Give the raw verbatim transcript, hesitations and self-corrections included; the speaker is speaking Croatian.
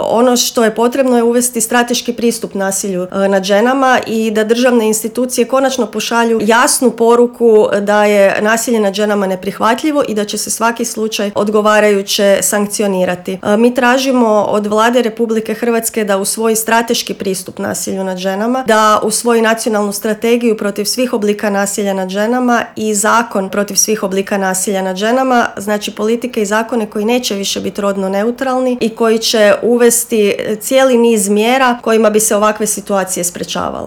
Ono što je potrebno je uvesti strateški pristup nasilju nad ženama i da državne institucije konačno pošalju jasnu poruku da je nasilje nad ženama neprihvatljivo i da će se svaki slučaj odgovarajuće sankcionirati. Mi tražimo od Vlade Republike Hrvatske da usvoji strateški pristup nasilju nad ženama, da usvoji nacionalnu strategiju protiv svih oblika nasilja nad ženama i zakon protiv svih oblika nasilja nad ženama, znači politike i zakone koji neće više biti rodno neutralni i koji će uvesti cijeli niz mjera kojima bi se ovakve situacije sprečavale.